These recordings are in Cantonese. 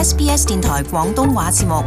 SBS 電台廣東話節目。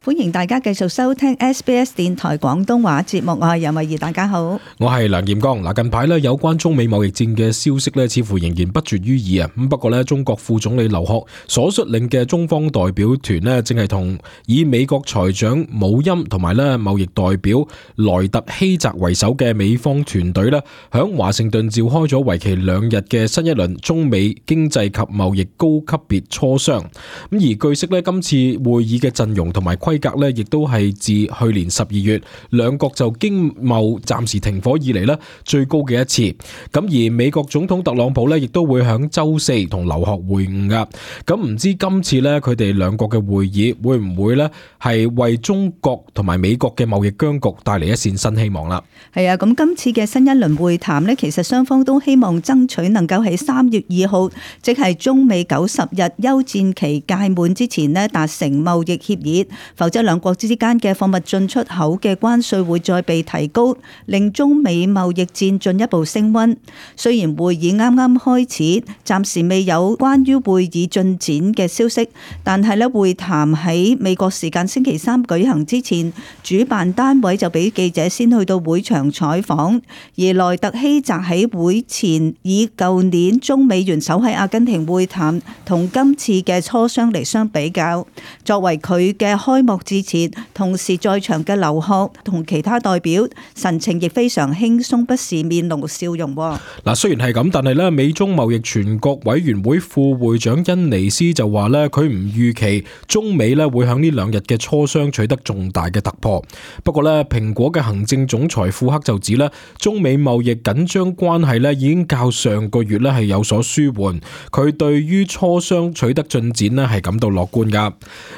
歡迎大家繼續收聽 SBS 電台廣東話節目，我係楊慧儀，大家好。我係梁劍剛。近排有關中美貿易戰嘅消息似乎仍然不絕於耳。不過中國副總理劉鶴所率領嘅中方代表團正係同以美國財長姆欽同埋貿易代表萊特希澤為首嘅美方團隊響華盛頓召開咗為期2日嘅新一輪中美經濟及貿易高級別磋商。而據悉今次會議嘅陣容同埋規格亦都係自去年12月兩國就經貿暫時停火以嚟最高嘅一次。咁而美國總統特朗普亦都會響周四同劉鶴會晤噶。咁唔知今次佢哋兩國嘅會議會唔會係為中國同埋美國嘅貿易僵局帶嚟一線新希望啦？係啊，咁今次嘅新一輪會談其實雙方都希望爭取能夠喺3月2號，即係中美90日休戰期屆滿之前達成貿易協議。否則兩國之間嘅貨物進出口嘅關稅會再被提高，令中美貿易戰進一步升溫。雖然會議啱啱開始，暫時未有關於會議進展嘅消息，但係會談喺美國時間星期3舉行之前，主辦單位就俾記者先去到會場採訪。而萊特希澤喺會前以舊年中美元首喺阿根廷會談同今次嘅磋商嚟相比較，作為佢嘅開幕致辭，同時在場嘅劉鶴同其他代表神情亦非常輕鬆，不時面露笑容。雖然係咁，但係美中貿易全國委員會副會長恩尼斯就話佢唔預期中美會響呢2日嘅磋商取得重大嘅突破。不過蘋果嘅行政總裁庫克就指中美貿易緊張關係已經較上個月係有所舒緩，佢對於磋商取得進展係感到樂觀噶。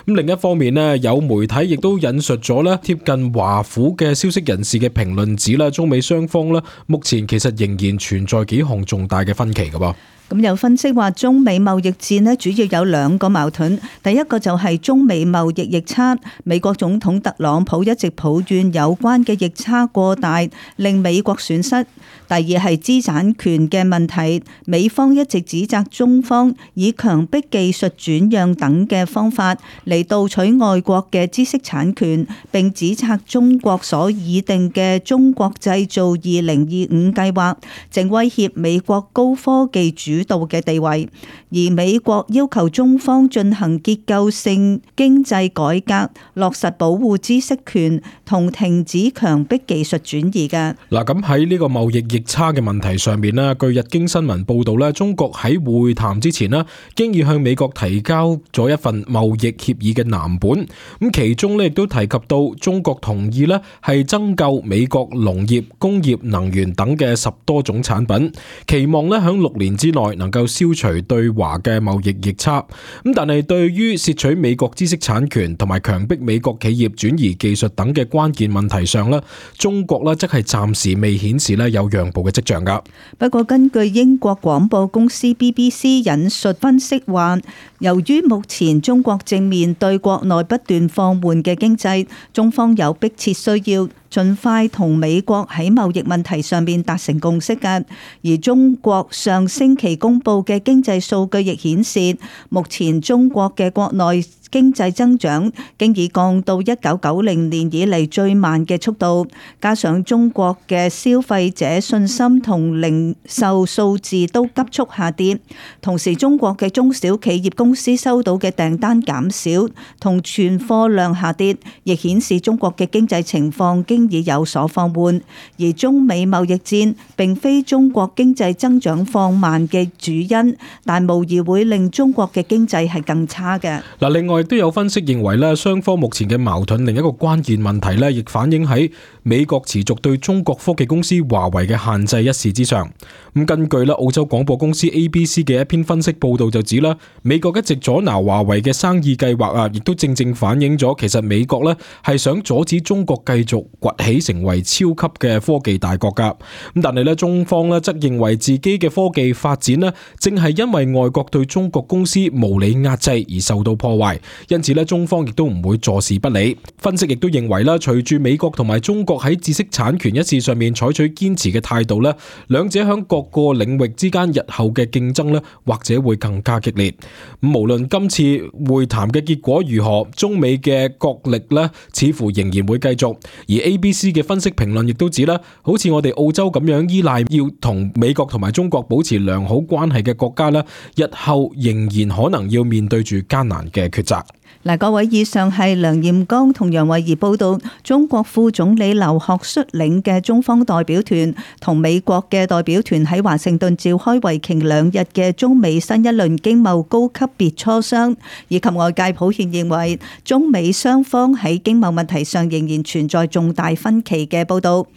咁另一方面有媒體亦都引述咗貼近華府嘅消息人士嘅評論指中美雙方目前其實仍然存在幾項重大嘅分歧噶噃。咁有分析話，中美貿易戰主要有2個矛盾。第一個就係中美貿易逆差，美國總統特朗普一直抱怨有關嘅逆差過大，令美國損失。第二係知識產權嘅問題，美方一直指責中方以強迫技術轉讓等嘅方法嚟盜取外國嘅知識產權，並指責中國所擬定嘅中國製造2025計劃，正威脅美國高科技主導嘅地位。而美國要求中方進行結構性經濟改革，落實保護知識權同停止強迫技術轉移嘅。咁喺呢個貿易逆差嘅問題上面據日經新聞報道中國喺會談之前經已向美國提交咗一份貿易協議嘅藍本。咁其中亦都提及到中國同意係增購美國農業、工業、能源等嘅10多種產品，期望響6年之內能夠消除對華嘅貿易逆差。咁但係對於竊取美國知識產權同埋強迫美國企業轉移技術等嘅關鍵問題上中國則係暫時未顯示有讓步嘅跡象噶。不過根據英國廣播公司 BBC 引述分析話，由於目前中國正面對國內不斷放緩嘅經濟，中方有迫切需要盡快同美國喺貿易問題上面達成共識嘅。而中國上星期公布嘅經濟數據亦顯示，目前中國嘅國內經濟增長經已降到1990年以嚟最慢嘅速度，加上中國嘅消費者信心同零售數字都急速下跌，同時中國嘅中小企業公司收到嘅訂單減少同存貨量下跌，亦顯示中國嘅經濟情況經已有所放緩。而中美貿易戰並非中國經濟增長放慢嘅主因，但無疑會令中國嘅經濟係更差嘅。另外都有分析認為雙方目前嘅矛盾另一個關鍵問題亦反映喺美國持續對中國科技公司華為嘅限制一事之上。咁根據澳洲廣播公司 ABC 嘅一篇分析報道就指美國一直阻撓華為嘅生意計劃亦都正正反映咗其實美國係想阻止中國繼續掘起成為超級嘅科技大國噶。咁但係咧，中方咧則認為自己嘅科技發展咧，正係因為外國對中國公司無理壓制而受到破壞，因此咧，中方亦都唔會坐視不理。分析亦都認為啦，隨住美國同埋中國喺知識產權一事上面採取堅持嘅態度咧，兩者響各個領域之間日後嘅競爭咧，或者會更加激烈。咁無論今次會談嘅結果如何，中美嘅角力咧，似乎仍然會繼續。而 ABC 嘅分析評論亦都指啦，好似我哋澳洲咁樣依賴要同美國同埋中國保持良好關係嘅國家咧，日後仍然可能要面對住艱難嘅抉擇。嗱，各位，以上係梁彥剛同楊慧儀報道，中國副總理劉鶴率領嘅中方代表團同美國嘅代表團喺華盛頓召開為期2日嘅中美新一輪經貿高級別磋商，以及外界普遍認為中美雙方喺經貿問題上仍然存在重大分歧嘅報道。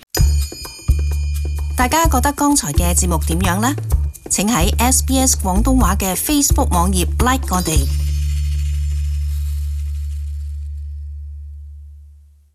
大家覺得剛才嘅節目點樣呢？請喺SBS 廣東話嘅 Facebook 網頁 like 我哋。